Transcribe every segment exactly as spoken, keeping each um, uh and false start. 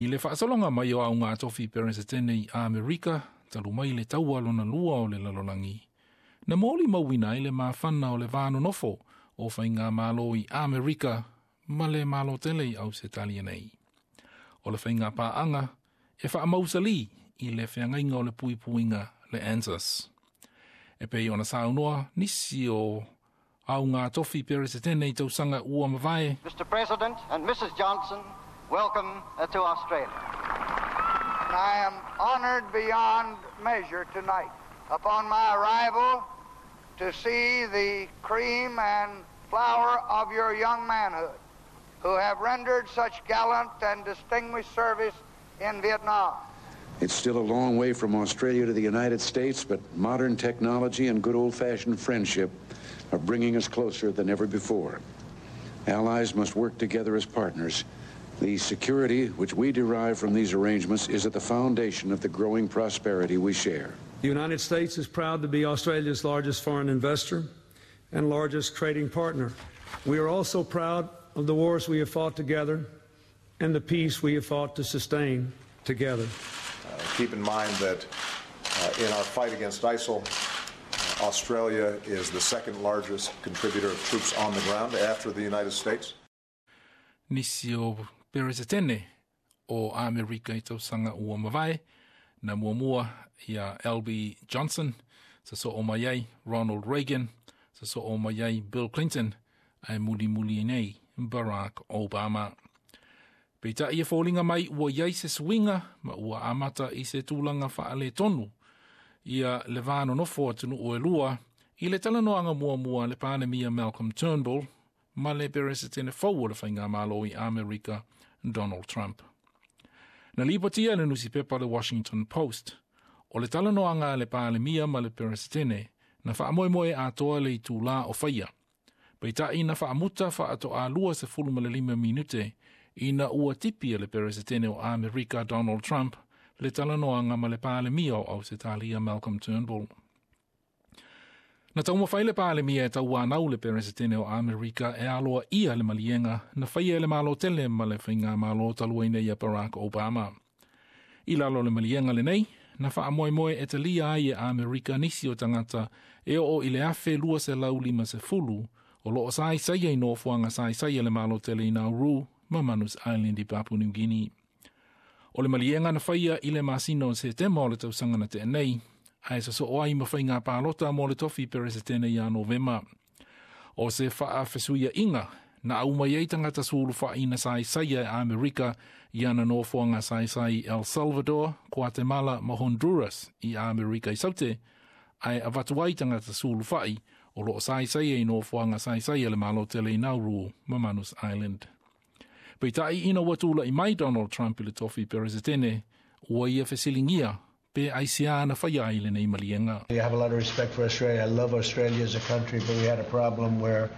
I le faasologa mai o auga tofi Peresetene i Amerika, talu mai le taua lona lua o le lalolagi. Na molimauina ai le mafana o le va nonofo o faigamalo i Amerika ma le Malo tele i Ausetalia nei. O le faiga paaga e faamausali i le feagaiga o le puipuiga le ANZUS. E pei ona saunoa nisi o auga tofi Peresetene i tausaga ua mavae. Mister President and Missus Johnson, welcome to Australia. And I am honored beyond measure tonight upon my arrival to see the cream and flower of your young manhood who have rendered such gallant and distinguished service in Vietnam. It's still a long way from Australia to the United States, but modern technology and good old-fashioned friendship are bringing us closer than ever before. Allies must work together as partners. The security which we derive from these arrangements is at the foundation of the growing prosperity we share. The United States is proud to be Australia's largest foreign investor and largest trading partner. We are also proud of the wars we have fought together and the peace we have fought to sustain together. Uh, keep in mind that, uh, in our fight against ISIL, uh, Australia is the second largest contributor of troops on the ground after the United States. Nisi o Peresetene o Amerika i tausaga ua mavae, na muamua ia L B Johnson, sa so o mai ai Ronald Reagan, sa so o mai ai Bill Clinton, ae mulimuli nei Barack Obama. Peitai e fōlinga mai ua iai se suiga ma ua amata i se tulaga faaletonu ia le va nonofo atunuu e lua i le talanoaga muamua le Palemia Malcolm Turnbull ma le Peresetene fou o le faigamalo i Amerika Donald Trump. Na lipotia le nusipepa le Washington Post o le talanoaga a le Palemia ma le Peresetene na faamoemoe atoa le itulā o faia. Peitai na faamuta faatoalua sefulu ma le lima minute ina ua tipi e le Peresetene o Amerika Donald Trump le talanoaga ma le Palemia o Ausetalia Malcolm Turnbull. Na taumafai le Palemia e tauanau le Peresetene o Amerika e aloa ia le maliega na faia e le Malo tele ma le faigamalo talu ai nei ia Barack Obama. I lalo le maliega lenei, na faamoemoe e talia ai e Amerika nisi o tagata e oo i le afe lua selau lima sefulu o loo saisai i nofoaga saisai e le Malo tele i Nauru ma Manus Island i Papua New Guinea. O le maliega na faia i le masina o Setema o le tausaga na tea nei, ae sosoo ai ma faiga palota mo le tofi Peresetene ia Novema. O se faafesuiaiga na aumai ai tagata sulufa'i na saisaia e Amerika i ana nofoaga saisai El Salvador, Guatemala ma Honduras i Amerika i Saute, ae avatu ai tagata sulufa'i o loo saisaia i nofoaga saisaia le Malo tele i Nauru ma Manus Island. Peitai ina ua tula'i mai Donald Trump i le tofi Peresetene, ua ia fesiligia pe aisia na faia ai lenei maliega. I have a lot of respect for Australia. I love Australia as a country, but we had a problem where,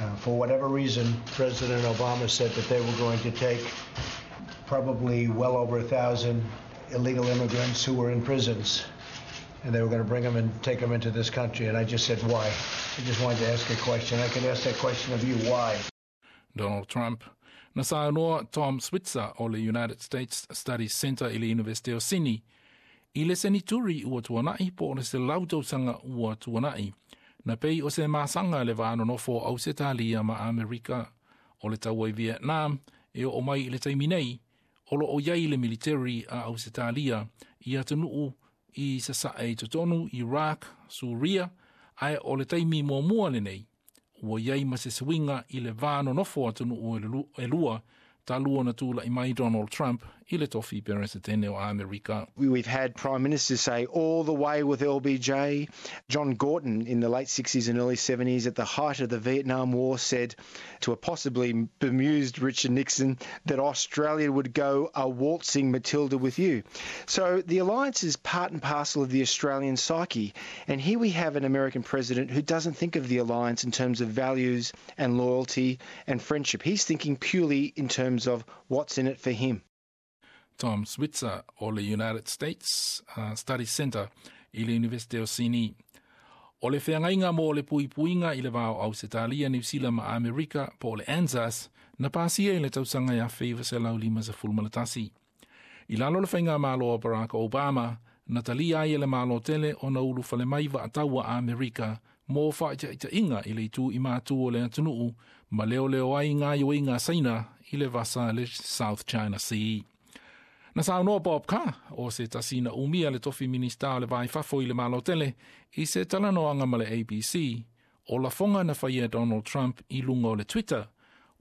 uh, for whatever reason, President Obama said that they were going to take probably well over a thousand illegal immigrants who were in prisons, and they were gonna bring them and take them into this country. And I just said, why? I just wanted to ask a question. I can ask that question of you, why? Donald Trump. Na saunoa Tom Switzer o le United States Studies Center i le University o Sydney i le senituri ua tuanai po o le selau tausaga ua tuanai na pei o se masaga le va nonofo o Ausetalia ma Amerika o le taua i Vietnam e oo mai i le taimi nei o loo iai le military a Ausetalia i atunuu i sasae i totonu Iraq, Suria, ae o le taimi muamua lenei ua iai ma se suiga i le va nonofo atunuu e lua talu ona tula'i mai Donald Trump i le tofi Peresetene o Amerika. We've had prime ministers say all the way with L B J. John Gorton in the late sixties and early seventies at the height of the Vietnam War said to a possibly bemused Richard Nixon that Australia would go a waltzing Matilda with you. So the alliance is part and parcel of the Australian psyche. And here we have an American president who doesn't think of the alliance in terms of values and loyalty and friendship. He's thinking purely in terms of what's in it for him. Tom Switzer o le United States uh, Studies Center i le University o Sydney. O le feagaiga mo le puipuiga i le va o Ausetalia, New Zealand ma Amerika po o le ANZUS na pasia i le tausaga ia afe iva selau lima sefulu ma le tasi. I lalo le whainga malo o Barack Obama, na talia ai e le malo tele o na ulu fale mai wa ataua Amerika mo whaitaitainga i le itu i mātu o le atunuu ma leo leo ai ngā ioinga saina i le vasa le South China Sea. Na saunoa Bob Carr o se tasina umia le tofi minista o le vai fafo i le malo tele i se talanoanga ma le A B C o lafoga na faia Donald Trump i luga o le Twitter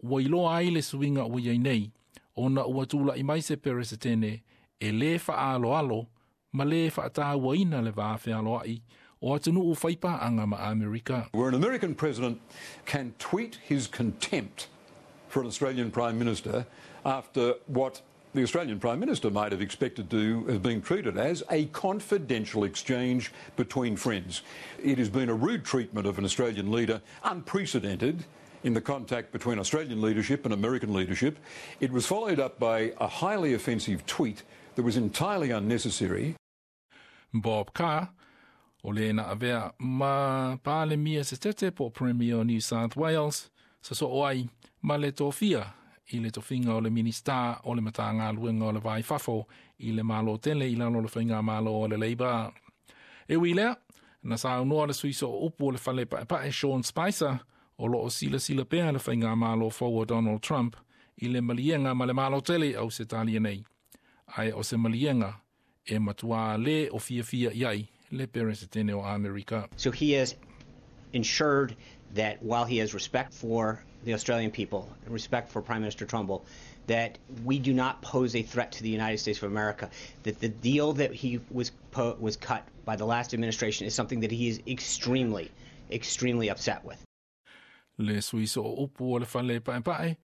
ua iloa ai le suiga ua iai nei ona ua tula'i mai se peresetene e lē fa'aaloalo ma lē fa'atāuaina le va fealoa'i o atunuu faipaaga ma Amerika. Where an American president can tweet his contempt for an Australian Prime Minister after what the Australian Prime Minister might have expected to have been treated as a confidential exchange between friends. It has been a rude treatment of an Australian leader, unprecedented in the contact between Australian leadership and American leadership. It was followed up by a highly offensive tweet that was entirely unnecessary. Bob Carr, o le na avea ma Palemia se tete po Premier o New South Wales, sa so o ai ma le tofia i le tofinga o le minista o le Matagaluega o le Vai Fafo i le malo tele i lalo le whainga malo o le Labour. E ui lea, na saunoa le sui sooupu o le fale paepae Sean Spicer o loo silasila pea le whainga malo fou o Donald Trump i le malienga ma le malo tele au se talia nei. Ai o se malienga e matua le o fia fia iai le peresetene o Amerika. So he has ensured that while he has respect for the Australian people and respect for Prime Minister Turnbull, that we do not pose a threat to the United States of America, that the deal that he was po- was cut by the last administration is something that he is extremely, extremely upset with. Le sui sooupu o le fale paepae.